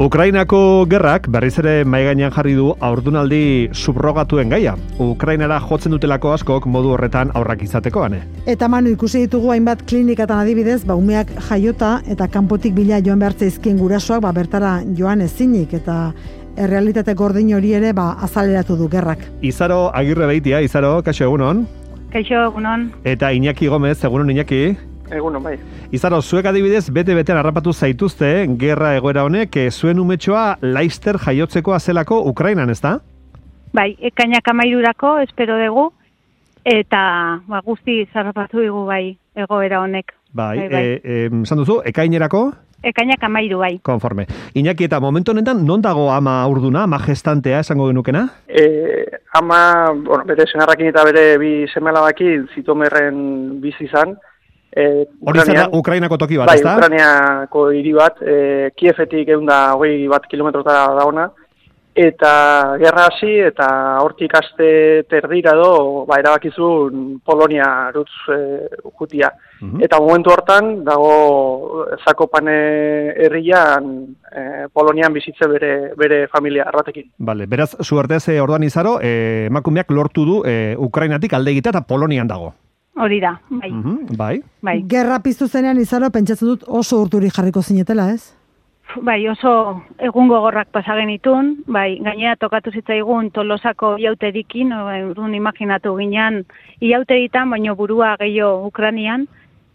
Ukrainako gerrak berriz ere mahai gainean jarri du haurdunaldi subrogatuen gaia. Ukrainara jotzen dutelako askok modu horretan aurrak izateko, ane. Eta Manu, ikusi ditugu hainbat klinikatan adibidez, umeak jaiota eta kanpotik bila joan behar zaizkien gurasoak bertara joan ezinik eta errealitate gordin hori ere azaleratu du gerrak. Izaro Agirre Beitia, Izaro, kaixo egunon. Kaixo egunon. Eta Iñaki Gomez, egunon Iñaki. Egunon, bai. Izaro, zuek adibidez bete-betean harrapatu zaituzte gerra egoera honek zuen umetxoa Laister jaiotzekoa zelako Ukrainan, ezta? Bai, ekainak 13rako espero dugu eta guzti harrapatu dugu bai egoera honek. Bai. Esan duzu, ekainerako? Ekainak 13 bai. Konforme. Iñaki, eta momentu honetan non dago ama urduna, ama gestantea esango genukena? Ama, bere senarrakin eta bere bi seme-alabakin Zitomerren bizi izan. Hori zara Ukrainako toki bat, bai, ezta? Bai, Ukrainiako hiri bat, Kievetik 120 kilometrotara dagoena, eta gerra hasi eta hortik aste terdira erabakizun Polonia rutz jutia. Eta momentu hortan dago Zakopane herrian Polonian bizitze bere familia batekin. Bale, beraz, zuartez orduan Izaro, emakumeak lortu du Ukrainatik alde egitea eta Polonian dago. Hori da, bai. Bai. Gerra piztu zenean Izaro, pentsatzen dut oso urturi jarriko zinetela, ez? Bai, oso egun gogorrak pasagen itun, bai, gainera tokatu zitzaigun Tolosako iauterikin, urrun imaginatu ginen iauteritan, baino burua gehiago Ukrainian,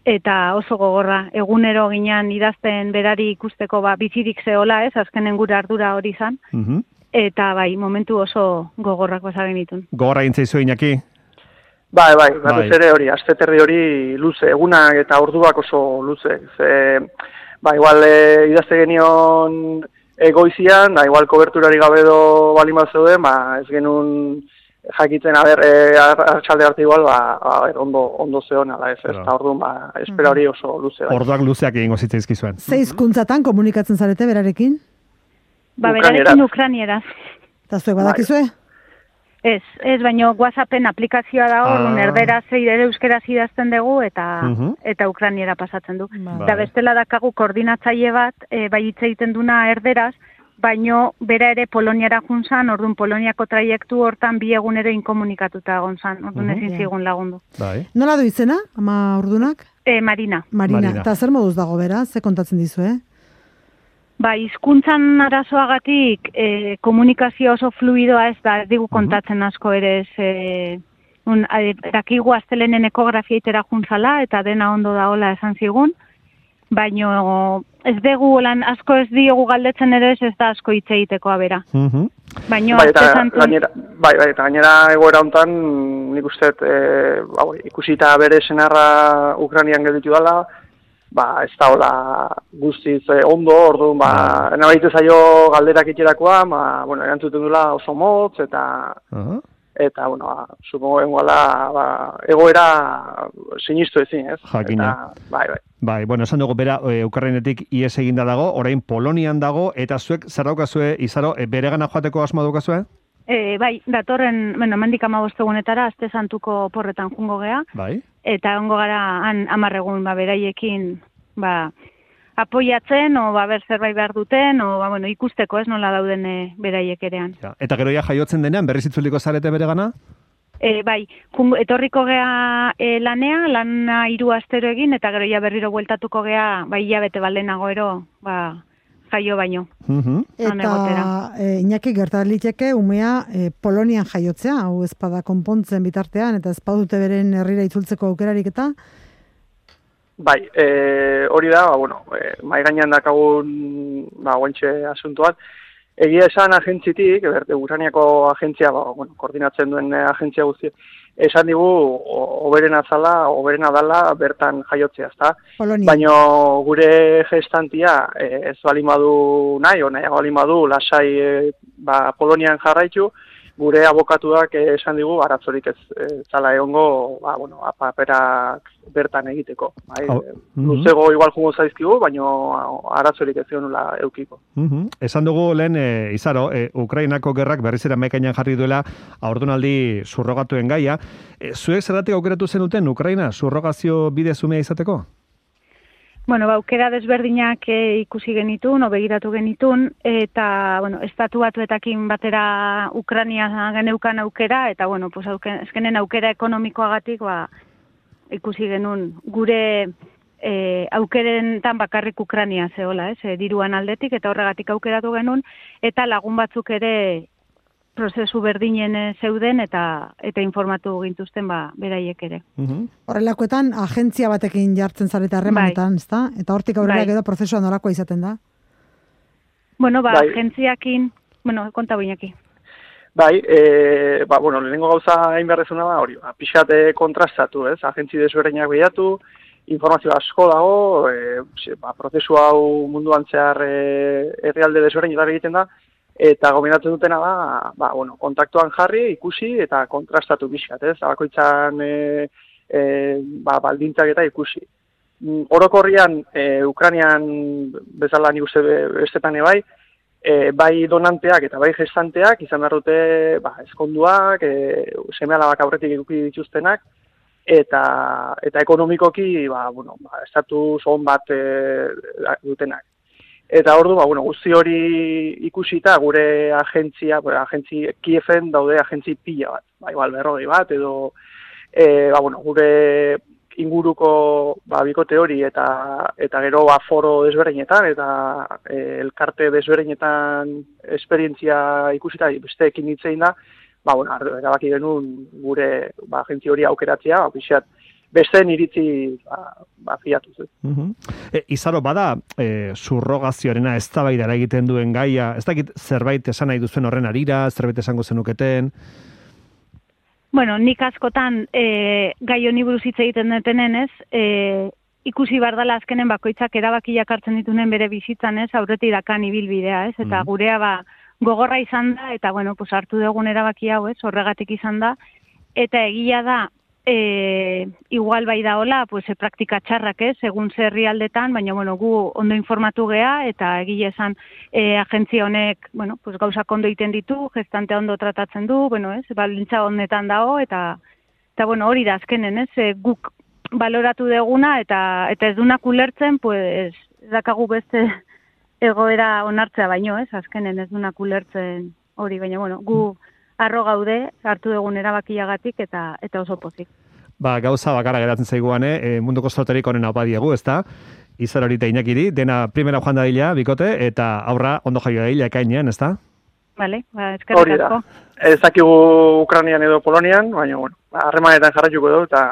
eta oso gogorra, egunero ginen idazten berari ikusteko bizirik zehola, ez, azkenen gure ardura hori izan, eta bai, momentu oso gogorrak pasagen itun. Gogorra gintzaizu Iñaki? Bai, batez ere hori, aste terdi hori luze, egunak eta orduak oso luze. Igual idazte genion goizian, igual koberturari gabe balin bat zeuden, ez genuen jakiten, artxalde arte igual, ondo zeon, ala ez, eta orduan, espera hori oso luze. Orduak luzeak egingo zitzaizkizuen. Ze hizkuntzatan komunikatzen zarete berarekin? Berarekin ukrainieraz. Eta zuek badakizue? Ez, baino WhatsAppen aplikazioa da hor, erderaz ere euskeraz idazten dugu eta ukrainiera pasatzen du. Da bestela dakagu koordinatzaile bat, bai hitz egiten duna erderaz, baino bera ere Poloniara junzan, orduan Poloniako traiektu hortan bi egunero inkomunikatuta gonzan, orduan ezin zigun lagundu. Nola du izena, ama urdunak? Marina. Eta zer moduz dago bera, ze kontatzen dizu, hizkuntzan arazoagatik komunikazio oso fluidoa ez da, ez digu kontatzen asko ere ez, dakigu astelenen ekografia itera juntzala eta dena ondo daola esan zigun, baino ez dugu asko ez diogu galdetzen ere ez da asko hitz egitekoa bera. Baino eta gainera egoera hontan nik uste ikusita bere senarra Ukrainian gelditu dela, ez da hola guztiz ondo, orduan, nabaitu zaio galderak itxerakoa, erantzuten dula oso motz, eta, supongo engoala, egoera sinistu ezin, ez? Jakina. Bai, esan dugu bera Ukrainetik ies eginda dago, orain Polonian dago, eta zuek zer daukazue, Izaro, bere gana joateko asma daukazue? Bai, datorren, mendik 15 egunetara, aste santuko porretan jungo gea. Bai. Eta ongo gara han 10 egun beraiekin apoiatzen, zerbait behar duten, ikusteko ez nola dauden beraiek erean. Eta gero jaiotzen denean, berriz itzuliko zarete bere gana? Bai, etorriko gea lana 3 astero egin, eta gero berriro bueltatuko gea, hilabete baldenago ero, jaio baino. Eta Iñaki gertaliteke umea Polonian jaiotzea, hau ezpada konpontzen bitartean, eta ezpadute beren herrira itzultzeko aukerarik eta? Bai, hori da, mai gainean dakagun guantxe asuntuan. Egia esan agentzitik, Ukrainiako agentzia, koordinatzen duen agentzia guzti, esan digu, oberena dala bertan jaiotzea, ezta? Baina gure gestantia ez balin badu nahi, nahiago balin badu, lasai Polonian jarraitu, gure abokatuak esan digu, aratzorik ez zala egongo, paperak bertan egiteko. Luzego igual jungo zaizkigu, baina aratzorik ez zionula eukiko. Esan dugu lehen, Izaro, Ukrainako gerrak berrizera mekainan jarri duela haurdunaldi surrogatuen gaia. Zuek zergatik aukeratu zenuten Ukraina surrogazio bide zumea izateko? Bueno, aukera desberdinak ikusi genitun, begiratu genitun, eta, bueno, estatu batuetakin batera Ukrania geneukan aukera, eta, bueno, pues, ezkenen aukera ekonomikoagatik, ikusi genuen gure aukerentan bakarrik Ukrania zehola, diruan aldetik, eta horregatik aukeratu genuen, eta lagun batzuk ere prozesu berdinen zeuden eta informatu gintuzten beraiek ere. Horrelakoetan agentzia batekin jartzen zarete harremanetan, ezta? Eta hortik aurrera gero prozesua nolakoa izaten da? Bueno, agentziakin, konta Iñaki. Bueno, lehenengo gauza hain berrezuna da hori, pixate kontrastatu, ez? Agentzi desberdinak bilatu, informazio asko dago, prozesu hau munduan zehar herrialde desberdinetan egiten da, eta gomendatzen dutena da, kontaktuan jarri, ikusi eta kontrastatu pixkat, ez? Bakoitzan baldintzak eta ikusi. Orokorrian, Ukrainian bezala nik uste bestetan bai donanteak eta bai gestanteak izan behar dute eskonduak, seme-alabak aurretik eduki dituztenak, eta ekonomikoki estatus on bat dutenak. Eta ordu, guzti hori ikusita gure agentzi Kieven daude agentzi pila bat, igual 40 bat, edo gure inguruko bikote hori eta gero foro desberdinetan eta elkarte desberdinetan esperientzia ikusita besteekin hitz egin da, erabaki genuen gure agentzi hori aukeratzea, pixat besteen iritzi fiatuz. Izaro, bada subrogazioarena eztabaidara egiten duen gaia, ez dakit zerbait esan nahi duzuen horren harira, zerbait esango zenuketen? Bueno, nik askotan gai honi buruz hitz egiten detenenez, ikusi bardala azkenen bakoitzak erabakiak hartzen ditunen bere bizitzan, ez, aurretik dakan ibilbidea, ez, eta gurea gogorra izan da, eta bueno, pues hartu dugun erabaki hau, ez, horregatik izan da, eta egia da, igual bai da hola, pues praktika txarrak, ez, egun herrialdetan, baina bueno, gu ondo informatu gea, eta egia esan agentzia honek, bueno, pues gauzak ondo egiten ditu, gestantea ondo tratatzen du, bueno, ez, baldintza honetan dago, eta bueno, hori da azkenen, ez, guk baloratu deguna, eta ez dunak ulertzen, pues, dakagu beste egoera onartzea baino, ez, azkenen ez dunak ulertzen hori, baina bueno, gu arro gaude, hartu dugun erabakiagatik eta oso pozik. Gauza bakarra geratzen zaiguane, munduko sorterik onena opa diegu, ezta? Izaro horita Iñakiri, dena primera joan dadila, bikote, eta aurra ondo jaio dadila ekainean, ezta? Vale, eskerrik asko. Ez dakigu Ukrainian edo Polonian, baina, bueno, harremanetan jarraituko dugu eta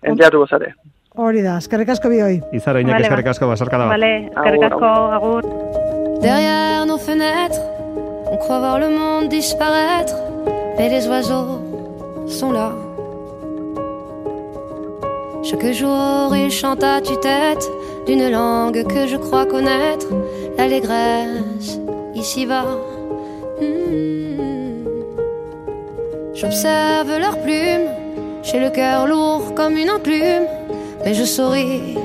enteatuko zare. Hori da, eskerrik asko bihoi. Izaro, Iñaki, eskerrik asko, basarka da. Vale, eskerrik asko, agur. Derrière nos fenêtres, on croit voir le monde disparaître, mais les oiseaux sont là. Chaque jour, ils chantent à tue-tête d'une langue que je crois connaître, l'allégresse ici-bas. J'observe leurs plumes, j'ai le cœur lourd comme une enclume, mais je souris,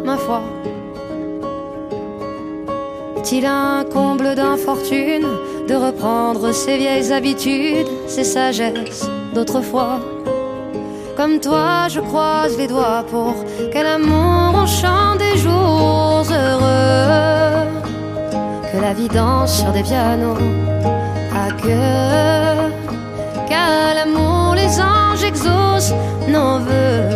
ma foi. Est-il un comble d'infortune de reprendre ses vieilles habitudes, ses sagesses d'autrefois? Comme toi, je croise les doigts pour que l'amour on chante des jours heureux, que la vie danse sur des pianos à queue, qu'à l'amour les anges exaucent nos vœux,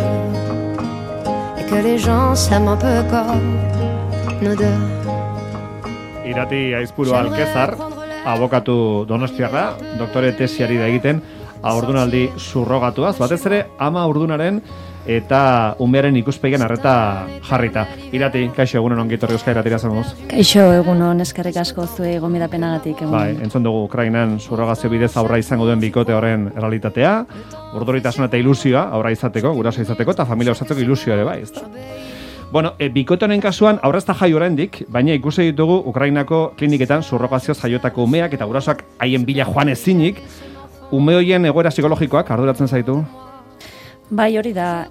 et que les gens s'aiment un peu comme nous deux. Irati Aizpuru Alkezar, abokatu donostiarra, doktore tesiari da egiten, haurdunaldi surrogatuaz, batez ere ama haurdunaren eta umearen ikuspegian arreta jarrita. Irati, kaixo, egunon ongi etorri Euskal Irratira zamoz. Kaixo, egunon, eskerrik asko zuei gomidapenagatik. Bai, entzun dugu Ukrainan surrogazio bidez aurra izango duen bikote horren errealitatea, urduritasuna eta ilusioa aurra izateko, guraso izateko eta familia osatzeko ilusioa ere bai, ezta. Bueno, bikote honen kasuan aurra ez da jai oraindik, baina ikusi ditugu Ukrainako kliniketan surrogazioz jaiotako umeak eta gurasoak haien bila joan ezinik. Ume hoien egoera psikologikoak arduratzen zaitu? Bai, hori da,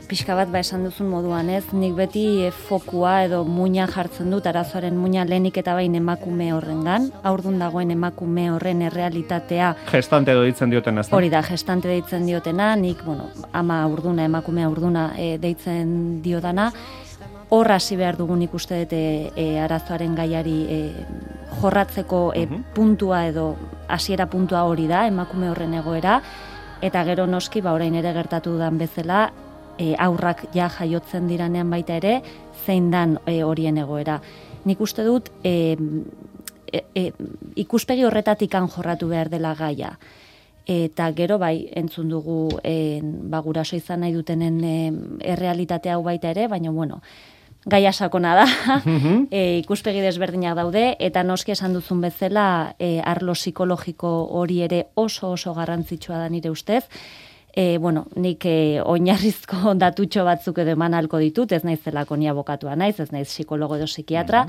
pixka bat esan duzun moduan, ez? Nik beti fokua edo muina jartzen dut, arazoaren muina lehenik eta bain emakume horrengan, haurdun dagoen emakume horren errealitatea. Gestante deitzen dioten, ez da? Hori da, gestante deitzen diotena, nik, ama haurduna, emakume haurduna deitzen diodana, hor hasi behar dugun ikuste dut arazoaren gaiari jorratzeko puntua edo hasiera puntua hori da, emakume horren egoera, eta gero noski, orain ere gertatu dudan bezala, aurrak ja jaiotzen diranean baita ere, zein dan horien egoera. Nik uste dut, ikuspegi horretatikan jorratu behar dela gaia. Eta gero entzun dugu guraso izan nahi dutenen errealitate hau baita ere, baina gaia sakona da, ikuspegi desberdinak daude, eta noski esan duzun bezala arlo psikologiko hori ere oso garrantzitsua da nire ustez. Nik oinarrizko datutxo batzuk edo eman halko ditut, ez naiz zelako ni abokatua naiz, ez naiz psikologo edo psikiatra,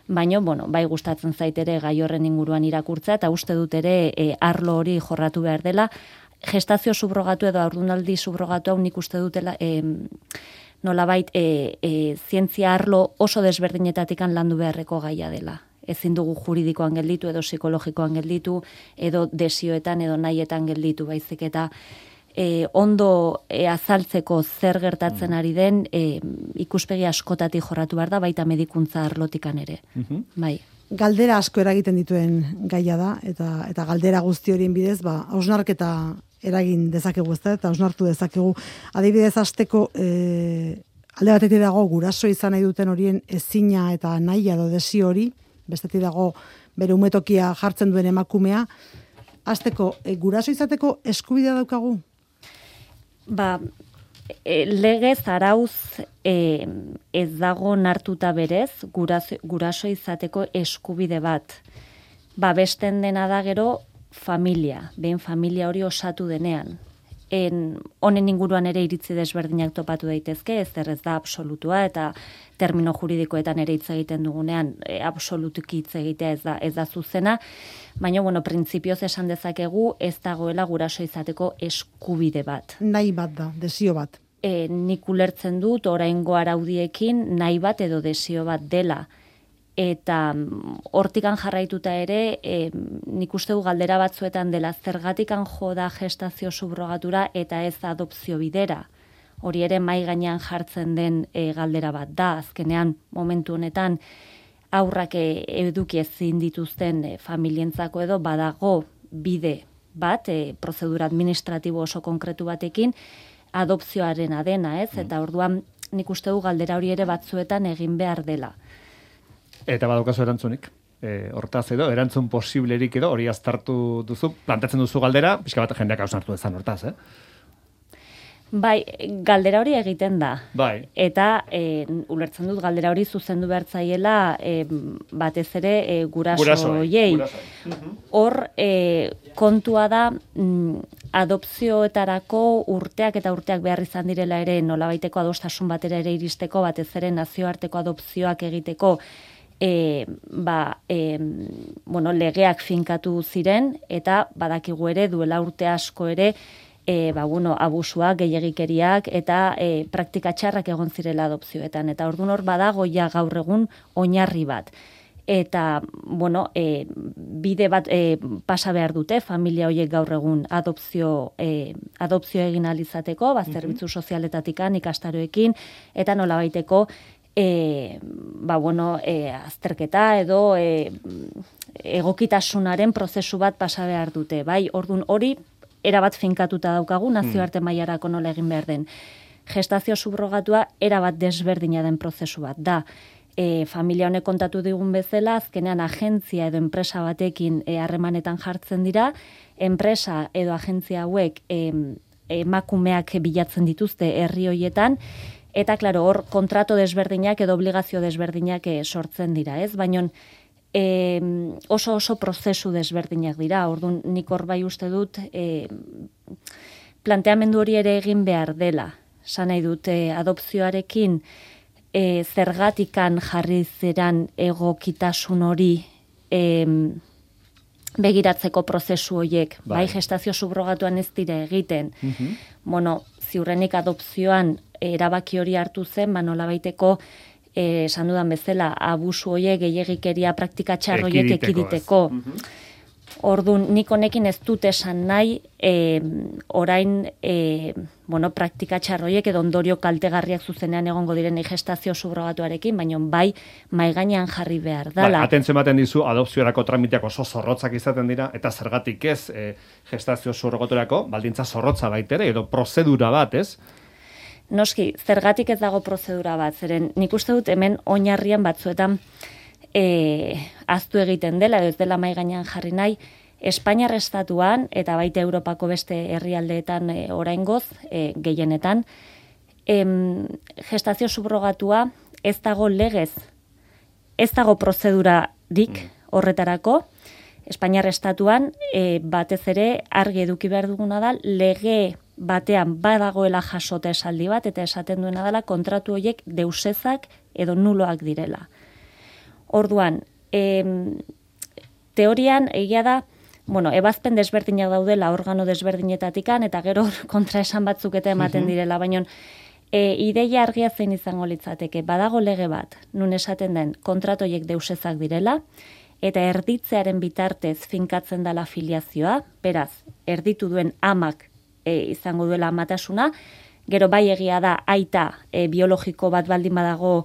baina, bai gustatzen zait ere gai horren inguruan irakurtzea, eta uste dut ere arlo hori jorratu behar dela. Gestazio subrogatu edo haurdunaldi subrogatu hau nik uste dutela, nolabait zientzia arlo oso desberdinetatikan landu beharreko gaia dela. Ezin dugu juridikoan gelditu edo psikologikoan gelditu, edo desioetan edo nahietan gelditu, baizik eta ondo azaltzeko zer gertatzen ari den ikuspegi askotati jorratu behar da, baita medikuntza arlotikan ere. Bai. Galdera asko eragiten dituen gaia da, eta galdera guzti horien bidez, hausnarketa eragin dezakegu, eta hausnartu dezakegu. Adibidez, hasteko alde batetik dago guraso izan nahi duten horien ezina eta nahia edo desio hori, bestetik dago bere umetokia jartzen duen emakumea. Hasteko, guraso izateko eskubidea daukagu? Legez arauz ez dago nartuta berez guraso izateko eskubide bat. Babesten dena da gero familia, behin familia hori osatu denean. Honen inguruan ere iritzi desberdinak topatu daitezke, ez da absolutua, eta termino juridikoetan ere hitz egiten dugunean absolutuki hitz egitea ez da zuzena, baina, printzipioz esan dezakegu ez dagoela guraso izateko eskubide bat. Nahi bat da, desio bat. Nik ulertzen dut, oraingo araudiekin nahi bat edo desio bat dela. Eta hortikan jarraituta ere, nik uste du galdera batzuetan dela, zergatikan joda gestazio subrogatura eta ez adopzio bidera. Hori ere mai gainean jartzen den galdera bat da, azkenean momentu honetan aurrak eduki ezin dituzten familientzako edo badago bide bat, prozedura administratibo oso konkretu batekin, adopzioaren adena, ez? Eta orduan nik uste du galdera hori ere batzuetan egin behar dela. Eta badaukazu erantzunik. Hortaz edo, erantzun posiblerik edo, hori aztertu duzu, plantatzen duzu galdera, pixka bat jendeak hausnartu dezan hortaz, Bai, galdera hori egiten da. Bai. Eta ulertzen dut galdera hori zuzendu behartzaiela batez ere gurasoiei. Hor kontua da adopzioetarako urteak eta urteak behar izan direla ere nolabaiteko adostasun batera ere iristeko, batez ere nazioarteko adopzioak egiteko legeak finkatu ziren, eta badakigu ere duela urte asko ere abusuak, gehiegikeriak eta praktika txarrak egon zirela adopzioetan. Eta orduan hor badago ja gaur egun oinarri bat. Eta, bide bat pasa behar dute, familia horiek gaur egun adopzio egin alizateko, zerbitzu sozialetatikan, ikastaroekin, eta nolabaiteko azterketa edo egokitasunaren prozesu bat pasa behar dute. Bai, orduan hori erabat finkatuta daukagu, nazioarte mailarako nola egin behar den. Gestazio subrogatua erabat desberdina den prozesu bat da. Familia honek kontatu digun bezala, azkenean agentzia edo enpresa batekin harremanetan jartzen dira, enpresa edo agentzia hauek emakumeak bilatzen dituzte herri hoietan, eta, klaro, hor kontrato desberdinak edo obligazio desberdinak sortzen dira, ez? Baina oso prozesu desberdinak dira. Orduan nik hor bai uste dut planteamendu hori ere egin behar dela. Esan nahi dut adopzioarekin zergatikan jarri zeran egokitasun hori begiratzeko prozesu horiek. Bai, gestazio subrogatuan ez dira egiten. Ziurrenik adopzioan erabaki hori hartu zen, nolabaiteko esan dudan bezala, abusu horiek, gehiegikeria praktika txar horiek ekiditeko. Orduan, nik honekin ez dut esan nahi, orain, praktika txarroiek edo ondorio kaltegarriak zuzenean egongo diren gestazio subrogatuarekin, baina bai maigainean jarri behar dala. Atentzio ematen dizu, adopziorako tramiteak oso zorrotzak izaten dira, eta zergatik ez gestazio surrogaturako, baldintza zorrotza baitere, edo prozedura bat, ez? Noski, zergatik ez dago prozedura bat, zeren nik uste dut hemen oinarrian batzuetan aztu egiten dela, edo ez dela maigainean jarri nahi, Espainiar estatuan, eta baita Europako beste herrialdeetan oraingoz, gehienetan, gestazio subrogatua ez dago legez, ez dago prozedurarik horretarako, Espainiar estatuan batez ere argi eduki behar duguna da, lege batean badagoela jasota esaldi bat, eta esaten duena dela kontratu horiek deusezak edo nuloak direla. Orduan, teorian egia da, ebazpen desberdinak daudela organo desberdinetatikan, eta gero kontraesan batzuk eta ematen direla, baina ideia argia zein izango litzateke, badago lege bat, nun esaten den kontratoiek deusezak direla, eta erditzearen bitartez finkatzen dela filiazioa, beraz, erditu duen amak izango duela amatasuna, gero bai egia da aita biologiko bat baldin badago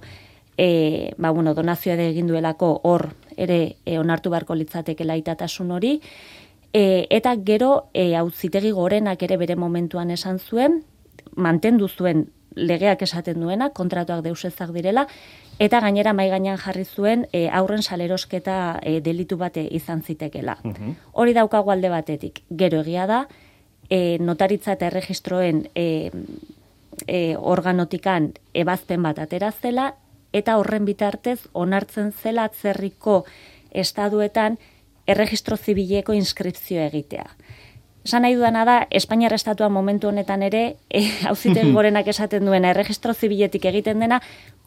donazioa egin duelako hor ere onartu beharko litzatekela aitatasun hori, eta gero auzitegi gorenak ere bere momentuan esan zuen, mantendu zuen legeak esaten duena, kontratuak deusezak direla, eta gainera mahai gainean jarri zuen aurren salerosketa delitu bate izan zitekela. Hori daukagu alde batetik. Gero egia da, notaritza eta erregistroen organotikan ebazpen bat atera zela, eta horren bitartez onartzen zela atzerriko estaduetan erregistro zibileko inskripzioa egitea. Esan nahi dudana da, Espainiar estatua momentu honetan ere, auzitegi gorenak esaten duena, erregistro zibiletik egiten dena,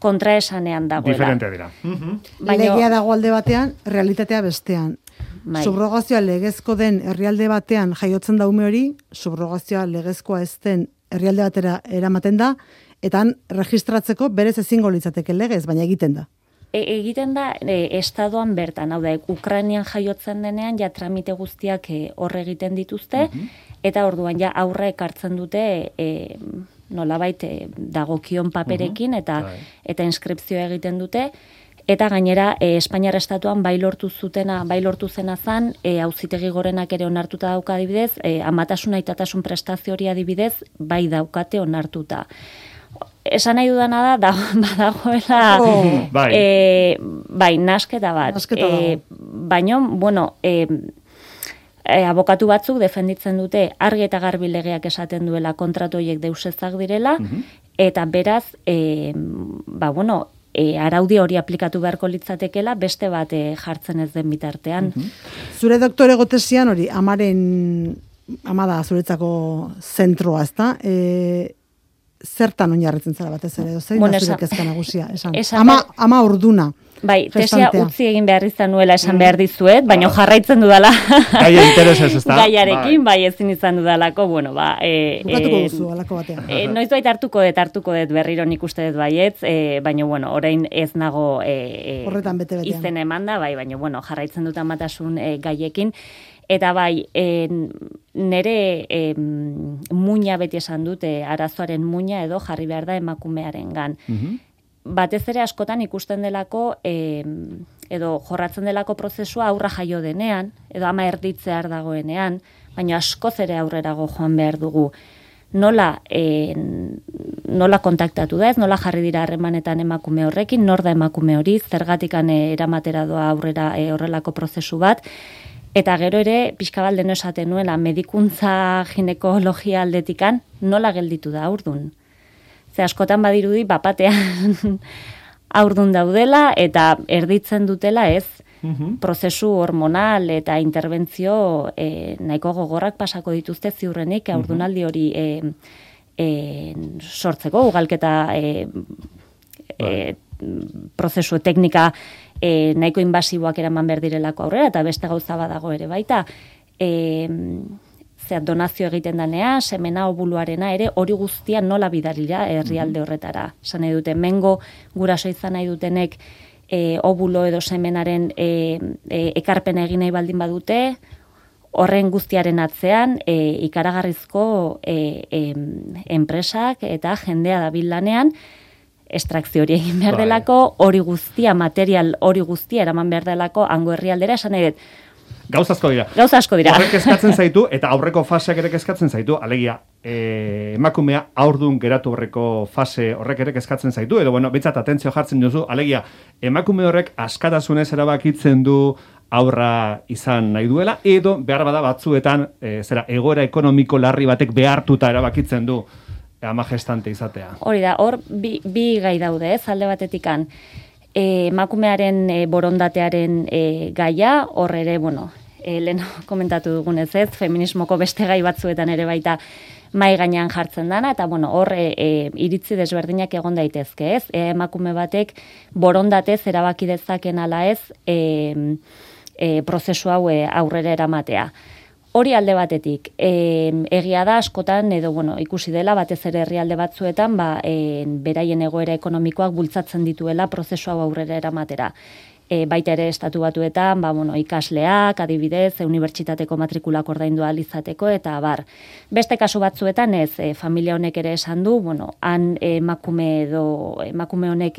kontraesanean dagoela. Diferente dira. Legea dago alde batean, realitatea bestean. Subrogazioa legezko den herrialde batean jaiotzen da ume hori, subrogazioa legezkoa ez den herrialde batera eramaten da, eta registratzeko berez ezingo litzateke legez, baina egiten da. Egiten da estadoan bertan, hau da, Ukrainian jaiotzen denean, ja tramite guztiak horre egiten dituzte, eta orduan ja aurre ekartzen dute nolabait dagokion paperekin, eta inskripzioa egiten dute, eta gainera Espainiar estatuan bai lortu zena zan, auzitegi gorenak ere onartuta dauka adibidez, amatasuna aitatasun prestazio hori adibidez, bai daukate onartuta. Esan nahi dudana da, badagoela nasketa bat. Baina, abokatu batzuk defenditzen dute argi eta garbi legeak esaten duela kontratu horiek deusezak direla, eta beraz, araudi hori aplikatu beharko litzatekela beste bat jartzen ez den bitartean. Zure doktore gotesian hori, ama da zuretzako zentroa, ezta? Zertan oinarritzen zara batez ere, zein da zure kezka nagusia, esan. Ama urduna. Bai, tesia utzi egin behar izan nuela esan behar dizuet, baina jarraitzen dudala. Gaia interesez, ez da? Gaiarekin, bai ezin izan dudalako, bukatuko duzu, alako batean. Noiz bait hartuko dut berriro nik uste dut baietz, baina, orain ez nago horretan bete-betean izen eman da, bai, baina, jarraitzen dut amatasun gaiekin. Eta bai, nere muina beti esan dute, arazoaren muina edo jarri behar da emakumearengan. Batez ere askotan ikusten delako, edo jorratzen delako prozesua aurra jaio denean, edo ama erditzear dagoenean, baina askoz ere aurrerago joan behar dugu. Nola kontaktatu da ez, nola jarri dira harremanetan emakume horrekin, nor da emakume hori, zergatikan eramatera doa aurrera horrelako prozesu bat, eta gero ere, pixka bat deno esaten nuela, medikuntza ginekologia aldetikan, nola gelditu da aurdun. Ze askotan badirudi, bapatean aurdun daudela, eta erditzen dutela ez, prozesu hormonal eta interbentzio nahiko gogorrak pasako dituzte ziurrenik, aurdunaldi hori sortzeko, ugalketa prozesu teknika nahiko invasiboak eraman behar direlako aurrera, eta beste gauza badago ere baita, donazio egiten danea, semena obuluarena ere, hori guztia nola bidalira herrialde horretara. Esan nahi dute, mengo guraso izan nahi dutenek obulo edo semenaren ekarpena egin nahi baldin badute, Horren guztiaren atzean, ikaragarrizko enpresak eta jendea dabil lanean, estrakzio hori egin behar delako, hori guztia, material hori guztia eraman behar delako, hango herrialdera, esan nahi dut. Gauza asko dira. Horrek eskatzen zaitu, eta aurreko faseak ere eskatzen zaitu, alegia, emakumea aurdun geratu horreko fase horrek ere eskatzen zaitu, edo, bueno, bintzat atentzio jartzen duzu, alegia, emakume horrek askatasunez erabakitzen du aurra izan nahi duela, edo behar bada batzuetan, egoera ekonomiko larri batek behartuta erabakitzen du ama gestante izatea. Hori da, hor bi gai daude, alde batetikan, emakumearen borondatearen gaia, hor ere, bueno, lehen komentatu dugunez ez, feminismoko beste gai batzuetan ere baita mai gainean jartzen dana, eta bueno, hor iritzi desberdinak egon daitezke ez, emakume batek borondatez erabaki dezaken ala ez, prozesu hau aurrera eramatea. Hori alde batetik, egia da askotan, edo bueno, ikusi dela, batez ere herrialde batzuetan, beraien egoera ekonomikoak bultzatzen dituela prozesu hau aurrera eramatera. Baita ere estatu batuetan, ikasleak, adibidez, unibertsitateko matrikulak ordaindu ahal izateko, eta abar. Beste kasu batzuetan ez, familia honek ere esan du, han emakume honek,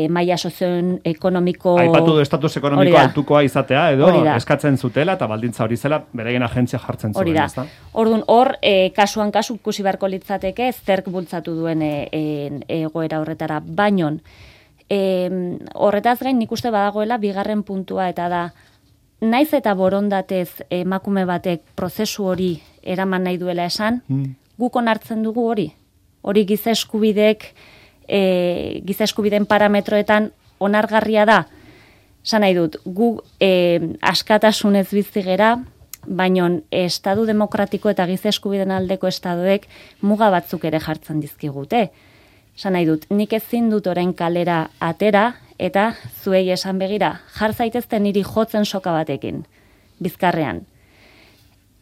maila sozioekonomiko... Aipatu du estatus ekonomiko altukoa izatea, edo eskatzen zutela, eta baldintza hori zela, beraien agentzia jartzen zuen. Orduan, hor, kasuan kasu ikusi beharko litzateke, zerk bultzatu duen egoera horretara, bainon, horretaz gain nik uste badagoela bigarren puntua, eta da, naiz eta borondatez emakume batek prozesu hori eraman nahi duela esan, guk onartzen dugu hori. Hori giza eskubideen parametroetan onargarria da. Esan nahi dut, gu askatasunez bizi gera, baina estadu demokratiko eta giza eskubideen aldeko estadoek muga batzuk ere jartzen dizkigute. Esan nahi dut, nik ezin dut orain kalera atera, eta zuei esan begira, jar zaitezte niri jotzen soka batekin, bizkarrean.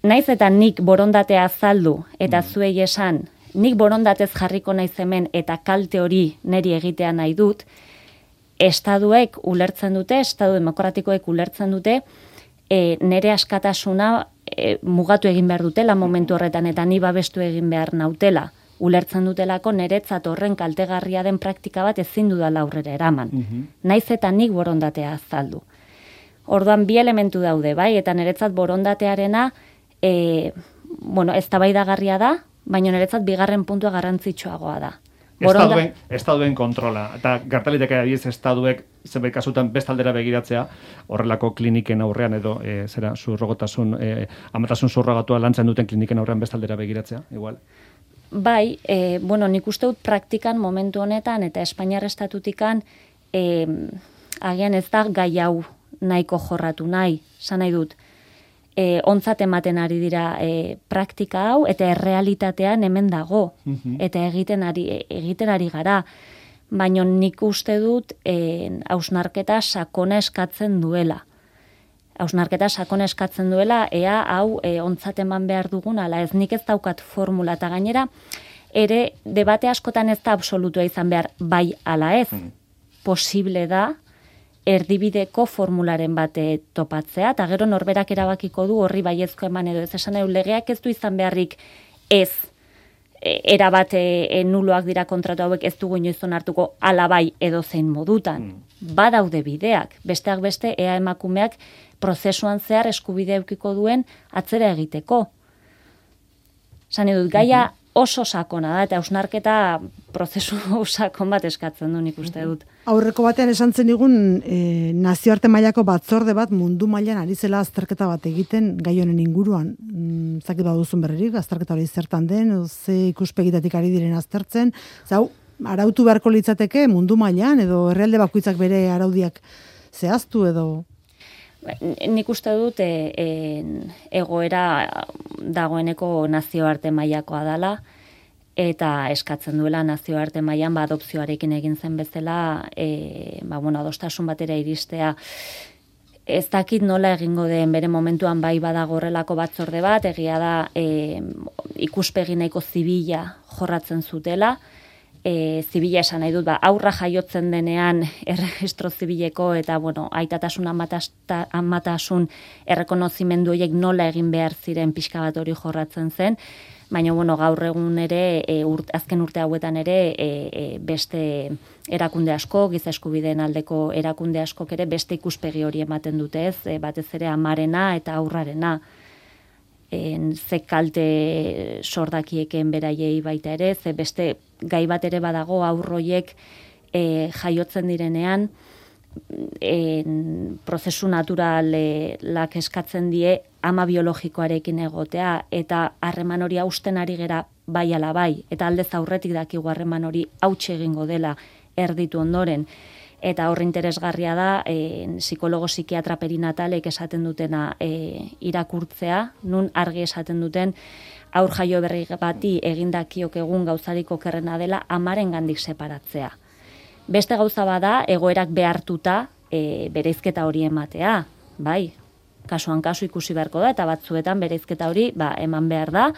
Naiz eta nik borondatea azaldu, eta zuei esan, nik borondatez jarriko naiz hemen, eta kalte hori niri egitea nahi dut, estaduek ulertzen dute, estadu demokratikoek ulertzen dute, nire askatasuna mugatu egin behar dutela momentu horretan, eta ni babestu egin behar nautela. Ulertzen dutelako niretzat horren kaltegarria den praktika bat ezin dudala aurrera eraman. Naiz eta nik borondatea azaldu. Orduan bi elementu daude, bai, eta niretzat borondatearena eztabaidagarria da, baina niretzat bigarren puntua garrantzitsuagoa da. Estaduen kontrola, eta gertaliteke adiez estaduek zenbait kasutan bestaldera begiratzea, horrelako kliniken aurrean edo amatasun surrogatua lantzen duten kliniken aurrean bestaldera begiratzea, igual. Bai, nik uste dut praktikan momentu honetan eta Espainiar estatutikan agian ez da gai hau nahiko jorratu nahi, esan nahi dut, ontzat ematen ari dira praktika hau eta errealitatean hemen dago, eta egiten ari gara, baina nik uste dut hausnarketa sakona eskatzen duela. Hausnarketa sakona eskatzen duela, ea hau ontzat eman behar dugun, ala ez nik ez daukat formula, eta gainera, ere debate askotan ez da absolutua izan behar bai ala ez. Posible da, erdibideko formularen bate topatzea, eta gero norberak erabakiko du horri baiezko eman edo ez esan legeak ez du izan beharrik ez erabate nuloak dira kontratu hauek ez dugu inoiz onartuko ala bai edo zein modutan. Badaude bideak, besteak beste ea emakumeak prozesuan zehar eskubide eukiko duen atzera egiteko. Esan dut, gaia oso sakona da, eta hausnarketa prozesu sakon bat eskatzen du nik uste dut. Aurreko batean esan zen digun nazioarte mailako batzorde bat mundu mailan ari zela azterketa bat egiten gai honen inguruan. Zakit baduzun berririk, azterketa hori zertan den, ze ikuspegitatik ari diren aztertzen. Zau, arautu beharko litzateke mundu mailan, edo herrialde bakoitzak bere araudiak zehaztu edo... Nik uste dut egoera dagoeneko nazioarte mailakoa dela, eta eskatzen duela nazioarte mailan adopzioarekin egin zen bezala, adostasun batera iristea. Ez dakit nola egingo den bere momentuan bai badago horrelako batzorde bat, egia da ikuspegi nahiko zibila jorratzen zutela, zibila esan nahi dut, aurra jaiotzen denean erregistro zibileko eta, aitatasun amatasun errekonozimendu horiek nola egin behar ziren pixka bat hori jorratzen zen, baina, gaur egun ere, azken urte hauetan ere, beste erakunde asko, giza eskubideen aldeko erakunde askok ere, beste ikuspegi hori ematen dute ez, batez ere amarena eta aurrarena. Ze kalte sordakieken beraiei baita ere, ze beste gai bat ere badago aurroiek jaiotzen direnean, prozesu naturalak eskatzen die ama biologikoarekin egotea, eta harreman hori hausten ari gera bai ala bai, eta aldez aurretik dakigu harreman hori hautsi egingo dela erditu ondoren. Eta horri interesgarria da, psikologo psikiatra perinatalek esaten dutena irakurtzea, nun argi esaten duten aur jaio berri bati egindakiok egun gauzarik okerrena dela amaren gandik separatzea. Beste gauza bada, egoerak behartuta bereizketa hori ematea, bai, kasuan kasu ikusi beharko da, eta batzuetan bereizketa hori eman behar da,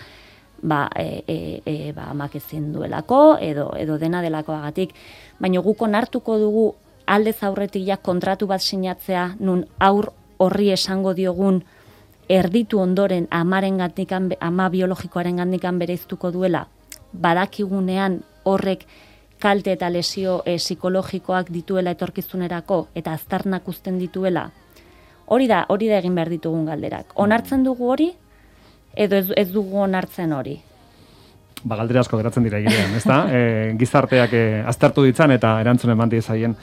amak ezin duelako, edo dena delakoagatik. Baina guk onartuko dugu aldez aurretik kontratu bat sinatzea, nun aur horri esango diogun erditu ondoren ama biologikoaren gandikan bereiztuko duela, badakigunean horrek kalte eta lesio psikologikoak dituela etorkizunerako eta aztarnak uzten dituela. Hori da egin behar ditugun galderak. Onartzen dugu hori, edo ez dugu onartzen hori? Galdera asko geratzen dira girean, ezta? Gizarteak aztertu ditzan eta erantzunen eman diezaien.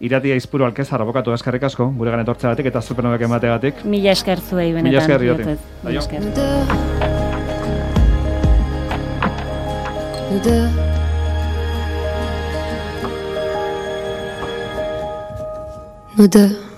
Iratia Aizpuru Alkezar, abokatu, eskerrik asko, guregan etortzeagatik eta zupenobek emateagatik. Mila esker zuei benetan. Mila esker Irati. Mila esker. Nous deux.